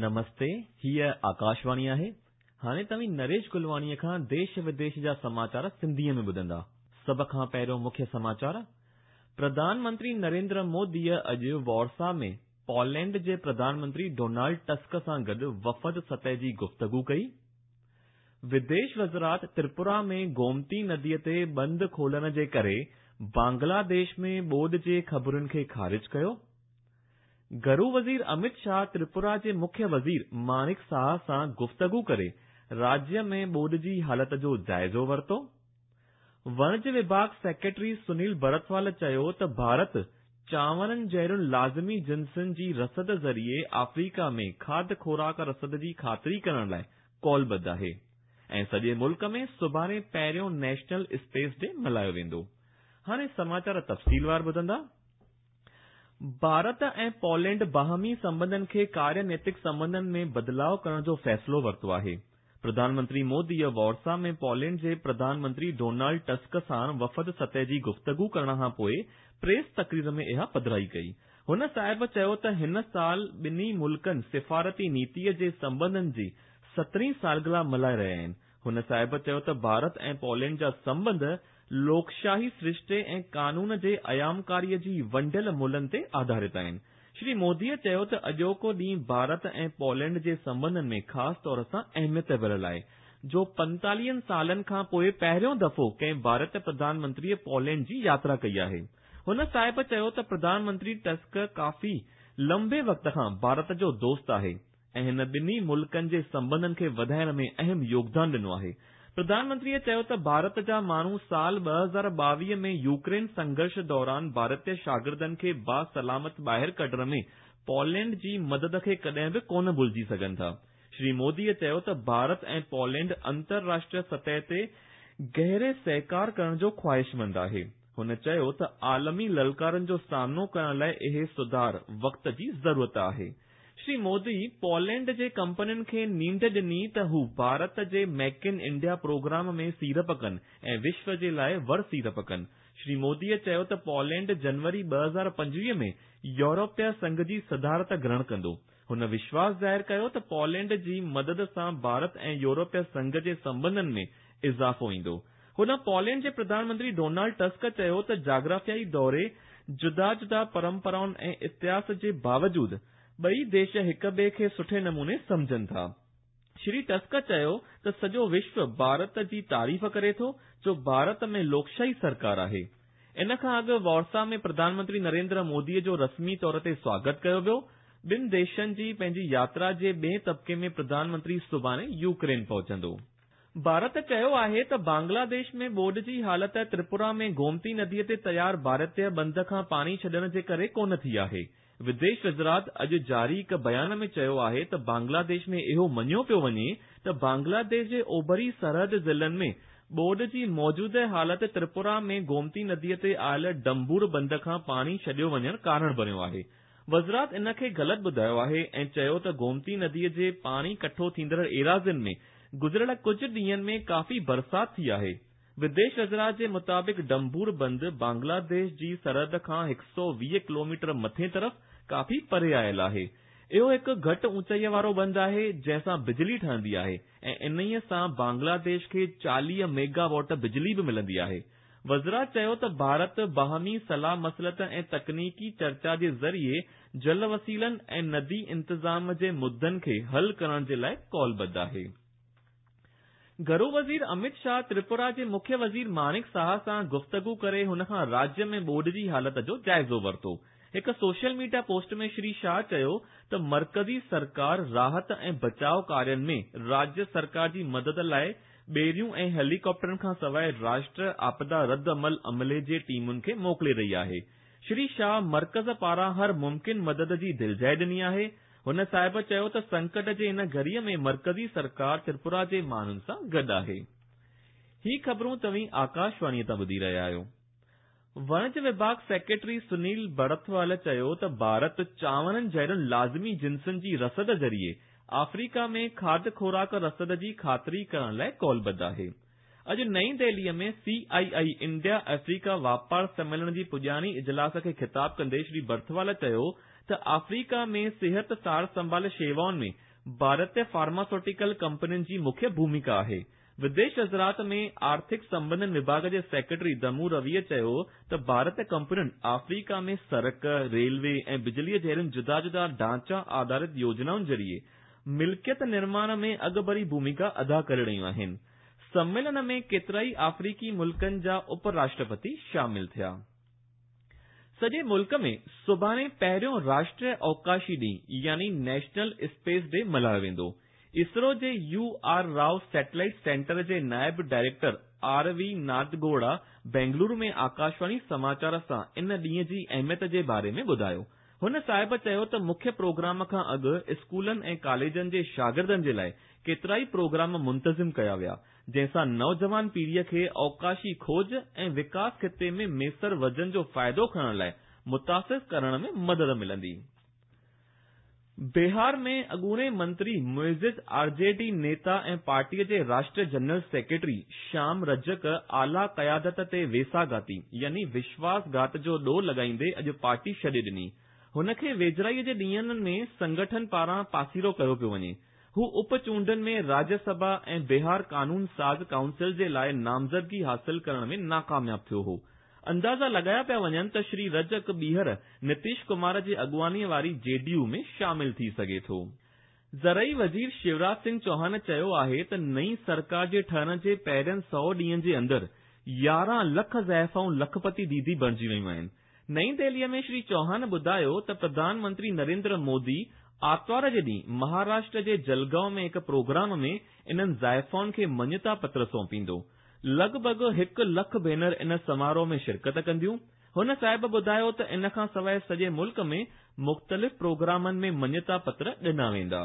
نمستي، هيء آڪاشواڻي آهي. هاڻي توهين نريش گلواڻيء کان ديش وديش جا سماچار سنڌيء ۾ ٻڌندا. سڀ کان پهريون مکيه سماچار، پرڌان منتري نريندر موديء اڄ وارسا ۾ پولينڊ جي پرڌان منتري ڊونالڊ ٽسڪ سان گڏ وفد سطح جي گفتگو ڪئي. وديش وزارت تريپورا ۾ گومتي نديء تي بند کولڻ جي ڪري بنگلاديش ۾ ٻوڏ جي خبرن کي خارج ڪيو. گهرو وزير امت شاهه تريپورا جي مکيه وزير ماڻڪ ساها سان گفتگو ڪري راجيه ۾ ٻوڏ جي حالت جو جائزو ورتو. وڻج وڀاڳ سيڪريٽري سنيل برتوال چيو ته ڀارت چانورن جهڙين لازمي جنسن جي رسد ذريعي آفريڪا ۾ کاڌ خوراڪ رسد جي خاطري ڪرڻ لاء قولبڌ آهي ۽ سڄي ملڪ ۾ سڀاڻي پهريون نيشنل اسپيس ڊي ملهايو ويندو. هاڻي سماچار تفصيلوار ٻڌندا. ڀارت ۽ پولينڊ باهمي سنٻنڌن کي ڪاريه نيتڪ سنٻنڌن ۾ بدلاء ڪرڻ جو فيصلو ورتو آهي. پرڌان منتري موديء وارسا ۾ پولينڊ جي پرڌان منتري ڊونالڊ ٽسڪ ساڻ وفد سطح جي گفتگو ڪرڻ کان پوء پريس تقرير ۾ اها پڌرائي ڪئي. هن صاحب چيو ته هن سال ٻنهي ملڪن سفارتي نيتيء جي سنٻنڌن جي سترهين سالگرهه ملهائي رهيا آهن. هن صاحب چيو ته ڀارت ۽ پولينڊ جا سنٻنڌ لوڪشاهي سرشتي ۽ قانون جي ايامڪاريء جي ونڊيل ملهن تي آڌارت آهن. شري موديء چيو ته اڄوڪو ڏينهن ڀارت ۽ پولينڊ جي سنٻنڌن ۾ خاص طور سان اهميت ڀريل آهي، جو پنتاليهن سالن کان پوء پهريون دفعو ڪنهن ڀارتي پرڌان منتريء پولينڊ جي ياترا ڪئي آهي. هن صاحب چيو ته پرڌان منتري ٽسڪ ڪافي لنبي وقت کان ڀارت جو دوست آهي. ۽ هن ٻنهي ملڪن جي سنٻنڌن کي وڌائڻ ۾ اهم يوگدان ڏنو آهي. پرڌان منتريء چيو ته ڀارت جا ماڻهو سال 2022 ۾ يوڪرين سنگهرش دوران ڀارتي شاگردن کي با سلامت ٻاهر ڪڍڻ ۾ پولينڊ جي مدد کي ڪڏهن به ڪونه ڀلجي سگهن ٿا. شري موديء چيو ته ڀارت ۽ پولينڊ انترراشٽريه سطح تي گهري سهڪار ڪرڻ جو خواهشمند آهي. هن چيو ته عالمي للڪارن جو سامنو ڪرڻ لاء اهي سڌار وقت جي ضرورت آهي. شري مودي پولينڊ جي ڪمپنين کي نينڍ ڏني ته هو ڀارت جي ميڪ ان انڊيا پروگرام ۾ سيڙپ ڪن ۽ وشو جي لاء ور سيڙپ ڪن. شري موديء چيو ته پولينڊ جنوري 2025 ۾ يورپي سنگهه جي صدارت گرهڻ ڪندو. هن وشواس ظاهر ڪيو ته پولينڊ جي مدد سان ڀارت ۽ يورپي سنگهه جي سنٻنڌن ۾ اضافو ايندو. هن پولينڊ جي پرڌان منتري ڊونالڊ ٽسڪ چيو ته جاگرافيائي دوري، جدا جدا پرمپرائن ۽ اتهاس جي باوجود ٻئي ديش هڪ ٻئي کي سٺي نموني سمجهن ٿا. شري ٽسڪ چيو ته سڄو وشو ڀارت جي تعريف ڪري ٿو جو ڀارت ۾ لوڪشاهي سرڪار آهي. ان کان اڳ وارسا ۾ پرڌان منتري نريندر موديء جو رسمي طور تي سواگت ڪيو ويو. ٻن ديشن جي پنهنجي ياترا جي ٻئين طبقي ۾ پرڌان منتري سڀاڻي يوڪرين پهچندو. ڀارت چيو آهي ته بنگلاديش ۾ ٻوڏ جي حالت تريپورا ۾ گومتي نديء تي تيار ڀارتي بند کان پاڻي ڇڏڻ جي ڪري ڪونه ٿي آهي. وديش وزارت اڄ جاري هڪ بيان ۾ چيو آهي ته بنگلاديش ۾ اهو مڃيو پيو وڃي ته بنگلاديش جي اوڀري سرحد ضلعن ۾ ٻوڏ جي موجوده حالت تريپورا ۾ گومتي نديء تي آيل ڊمبور بند کان پاڻي ڇڏيو وڃڻ ڪارڻ بڻيو آهي. وزارت ان کي غلط ٻڌايو آهي ۽ چيو ته گومتي نديء جي پاڻي ڪٺو ٿيندڙ ايراضين ۾ گذريل ڪجهه ڏينهن ۾ ڪافي برسات ٿي آهي. وديش وزارت جي مطابق ڊمبور بند بنگلاديش جي سرحد کان 120 ڪلوميٽر مٿين طرف ڪافي پري آيل آهي. اهو هڪ گهٽ اوچائيء وارو بند آهي، جنهن سان بجلي ٺهندي آهي ۽ انهيء سان بنگلاديش کي 40 ميگا واٽ بجلي به ملندي آهي. وزارت چيو ته ڀارت باهمي صلاح مصلحت ۽ تڪنيڪي چرچا جي ذريعي جل وسيلن ۽ ندي انتظام جي مدن کي حل ڪرڻ جي لاء قولبڌ آهي. گهرو وزير امت شاهه تريپورا جي مکيه وزير ماڻڪ ساها سان گفتگو ڪري هن کان راجيه ۾ ٻوڏ جي حالت جو جائزو ورتو. هڪ social media post ۾ Shri Shah چيو ته مرڪزي سرڪار راحت ۽ بچاء ڪارين ۾ راجيه سرڪار جي مدد لاء ٻيڙيون ۽ هيليڪاپٽرن کان سواء راشٽر آپدا رد عمل عملي جي ٽيمن کي موڪلي رهي آهي. شري شاهه مرڪز پاران هر ممڪن مدد جي دلجاء ڏني آهي. هن صاحب چيو ته سنڪٽ جي ان گهڙيء ۾ مرڪزي سرڪار تريپورا جي ماڻهن سان گڏ آهي. هي خبرون توهين آڪاشواڻيء تان ٻڌي رهيا آهيو. وڻج وڀاڳ سيڪريٽري سنيل برٿوال چيو ته ڀارت چانورن جهڙين لازمي جنسن جي رسد ذريعي آفريڪا ۾ کاڌ خوراڪ رسد جي خاطري ڪرڻ لاء قولبڌ آهي. اڄ نئين دهليء ۾ سي آء آء انڊيا آفريڪا واپار سميلن جي پڄاڻي اجلاس کي خطاب ڪندي شري برٿوال چيو ته آفريڪا ۾ صحت سار سنڀال شيوائن ۾ ڀارتي فارماسوٽيڪل ڪمپنين جي مکيه ڀوميڪا آهي. وديش وزارت ۾ آرٿڪ سنٻنڌن وڀاڳ جي سيڪريٽري دمو رويء چيو ته ڀارتي ڪمپنين آفريڪا ۾ سڙڪ، ريلوي ۽ بجليء جهڙين جدا جدا ڍانچا آڌارت يوجنائن ذريعي ملڪيت نرماڻ ۾ اڳڀري ڀوميڪا ادا ڪري رهيون آهن. سميلن ۾ ڪيترائي آفريڪي ملڪن جا اپ راشٽرپتي شامل ٿيا. سڄي ملڪ ۾ سڀاڻي پهريون راشٽريه اوڪاشي ڏينهن يعني نيشنل اسپيس ڊي ملهايو ويندو. اسرو جي U R Rao satellite centre جي نائب director R V Nadgouda Bengaluru ۾ Akashvani سماچار سان ان ڏينهن جي اهميت جي باري ۾ ٻڌايو. هن صاحب چيو ته مکيه پروگرام کان اڳ اسڪولن ۽ ڪاليجن جي شاگردن جي لاء ڪيترائي پروگرام منتظم ڪيا ويا، جنهن سان نوجوان پيڙهيء کي اوڪاشي کوج ۽ وڪاس خطي ۾ ميسر وزن جو فائدو کڻڻ لاء متاثر ڪرڻ ۾ مدد ملندي. بهار ۾ اڳوڻي منتري معزز آر جي ڊي نيتا ۽ پارٽيء جي راشٽريه جنرل سيڪريٽري شيام رجڪ اعليٰ قيادت تي ويساهگاتي يعني وشواس گهات جو ڏوهه لڳائيندي اڄ پارٽي ڇڏي ڏني. هن کي ويجهڙائيء جي ڏينهن ۾ سنگٺن پاران پاسيرو ڪيو پيو وڃي. هو اپ چونڊن ۾ راجيه سڀا ۽ بهار قانون ساز ڪائونسل جي لاء نامزدگي حاصل ڪرڻ ۾ ناڪامياب ٿيو هو. اندازا لڳايا پيا وڃن ته شري رجڪ ٻيهر نتيش ڪمار جي اڳواڻيء واري جي ڊي يو ۾ شامل ٿي سگهي ٿو. زرعي وزير شيوراج سنگهه چوهان چيو آهي ته نئين سرڪار جي ٺهڻ جي پهرين سئو ڏينهن جي اندر 11 لک زائفائون لکپتي ديدي بڻجي ويون آهن. نئين دهليء ۾ شري چوهان ٻڌايو ته پرڌان منتري نريندر مودي آرتوار جي ڏينهن مهاراشٽر جي جلگائون ۾ هڪ پروگرام ۾ انهن زائفائن کي مڃتا پتر سونپيندو. لڳ ڀڳ هڪ لک ڀينر ان سماروهه ۾ شرڪت ڪنديون. هن صاحب ٻڌايو ته ان کان سواء سڄي ملڪ ۾ مختلف پروگرامن ۾ مڃتا پتر ڏنا ويندا.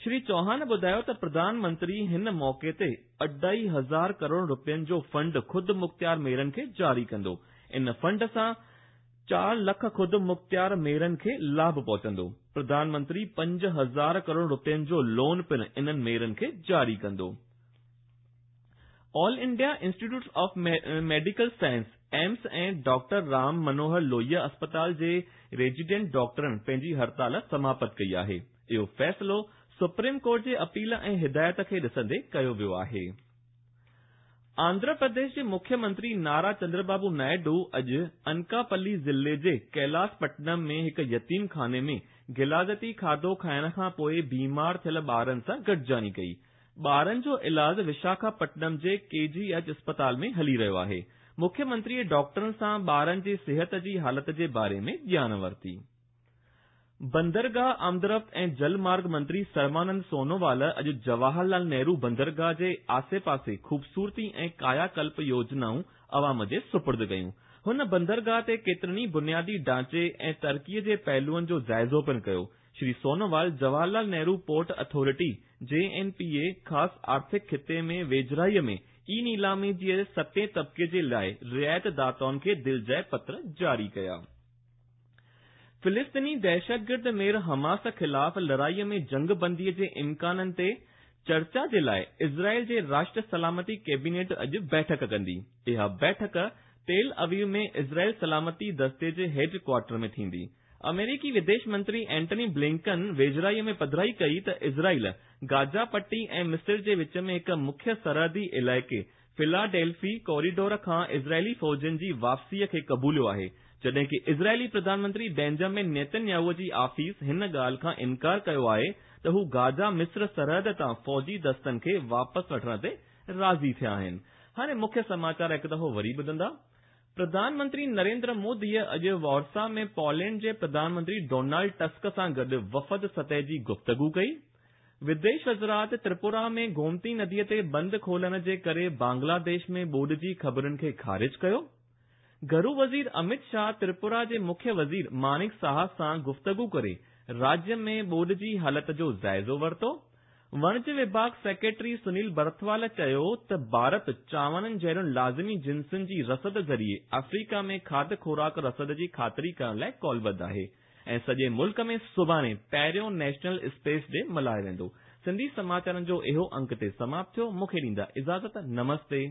شري چوهان ٻڌايو ته پرڌان منتري هن موقعي تي اڍائي هزار ڪروڙ رپين جو فنڊ خود مختيار ميئرن کي جاري ڪندو. ان فنڊ سان چار لک خود مختيار ميئرن کي لاڀ پهچندو. پرڌان منتري 5000 ڪروڙ رپين جو لون پڻ انهن ميئرن کي جاري ڪندو. All India institute of medical science, AIIMS, ۽ doctor Ram Manohar Lohia اسپتال جي ريزيڊنٽ ڊاڪٽرن پنهنجي هڙتال سماپت ڪئي آهي. اهو فيصلو سپريم ڪورٽ جي اپيل ۽ هدايت کي ڏسندي ڪيو ويو آهي. آنڌرا پرديش جي مکيه منتري نارا چندربابو نائيڊو اڄ انڪاپلي ضلعي جي ڪيلاس پٽنم ۾ هڪ يتيم خاني ۾ غلاظتي کاڌو کائڻ کان پوء بيمار ٿيل ٻارن سان گڏجاڻي ڪئي. ٻارن جو علاج وشاکاپٽنم جي ڪي جي ايڇ اسپتال ۾ هلي رهيو آهي. مکيه منتريء ڊاڪٽرن سان ٻارن جي صحت جي حالت جي باري ۾ ڄاڻ ورتي. بندرگاهه آمدرفت ۽ جل مارگ منتري سربانند سونووال اڄ جواهر لال نهرو بندرگاهه جي آسي پاسي خوبصورتي ۽ ڪايا ڪلپ يوجنائون عوام جي سپرد ڪيون. هن بندرگاهه تي ڪيترن ئي بنيادي ڍانچي ۽ ترقي جي پهلوئن جو جائزو پڻ ڪيو. Shri Sonowal Jawahar Lal Nehru port authority, J N P A, خاص آرٿڪ خطي ۾ ويجهڙائيء ۾ اي نيلامي جي ستين طبقي جي لاء رعايت داتائن کي دلجاء پتر جاري ڪيا. فلسطيني دهشتگرد ميڙ حماس خلاف لڙائيء ۾ جنگ بندي جي امڪانن تي چرچا جي لاء اسرائيل جي راشٽر سلامتي ڪيبينيٽ اڄ بيٺڪ ڪندي. اها بيٺڪ تيل اويو ۾ اسرائيل سلامتي دستي جي هيڊ ڪوارٽر ۾ ٿيندي. آمريڪي وديش منتري اينٽني بلنڪن ويجهڙائيء ۾ پڌرائي ڪئي ته اسرائيل، گازا پٽي ۽ مصر جي وچ ۾ هڪ مکيه سرحدي علائقي فلاڊيلفي ڪوريڊور کان اسرائيلي فوجين جي واپسيء کي قبوليو آهي، جڏهن ڪه اسرائيلي پرڌان منتري بينجامن نيتنياهو جي آفيس هن ڳالهه کان انڪار ڪيو آهي ته هو گازا مصر سرحد تان فوجي دستن کي واپس وٺڻ تي راضي ٿيا آهن. هاڻي مکيه سماچار هڪ دفعو وري ٻڌندا. پرڌان منتري نريندر موديء اڄ وارسا ۾ پولينڊ جي پرڌان منتري ڊونالڊ ٽسڪ سان گڏ وفد سطح جي گفتگو ڪئي. وديش وزارت تريپورا ۾ گومتي نديء تي بند کولڻ جي ڪري بنگلاديش ۾ ٻوڏ جي خبرن کي خارج ڪيو. گهرو وزير امت شاهه تريپورا جي مکيه وزير مانڪ ساها سان گفتگو ڪري راجيه ۾ ٻوڏ جي حالت جو جائزو ورتو. وڻج وڀاڳ سيڪريٽري سنيل برٿوال چيو ته ڀارت چانورن جهڙين لازمي جنسن جي رسد ذريعي آفريڪا ۾ کاڌ خوراڪ رسد جي خاطري ڪرڻ لاء قولبڌ آهي ۽ سڄي ملڪ ۾ سڀاڻي پهريون نيشنل اسپيس ڊي ملهايو ويندو. سنڌي سماچارن جو اهو انڪ هتي سماپت ٿيو. مون کي ڏيندا اجازت. نمستي.